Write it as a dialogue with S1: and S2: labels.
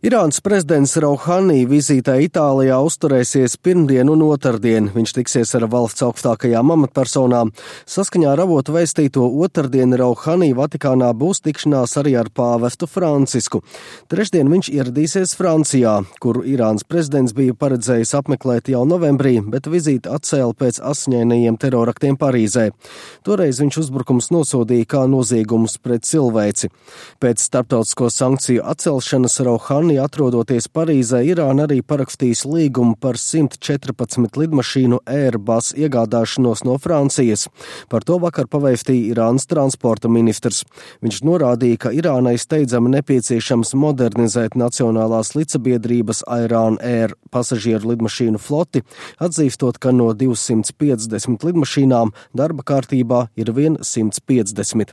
S1: Irānas prezidents Rouhani vizītē Itālijā uzturēsies pirmdien un otrdien. Viņš tiksies ar valsts augstākajām amatpersonām. Saskaņā ar avotu vēstīto otrdien Rouhani Vatikānā būs tikšanās arī ar pāvestu Francisku. Trešdien viņš ieradīsies Francijā, kuru Irānas prezidents bija paredzējis apmeklēt jau novembrī, bet vizīti atcēla pēc asiņainajiem teroraktiem Parīzē. Toreiz viņš uzbrukums nosodīja kā noziegumus pret cilvēci. Pēc starptautisko sankciju atcelšanas Rouhani atrodoties Parīzē, Irāna arī parakstīs līgumu par 114 lidmašīnu Airbus iegādāšanos no Francijas. Par to vakar pavēstīja Irānas transporta ministrs. Viņš norādīja, ka Irānai steidzami nepieciešams modernizēt nacionālās līdzsabiedrības Iran Air pasažieru lidmašīnu floti, atzīstot, ka no 250 lidmašīnām darba kārtībā ir vien 150.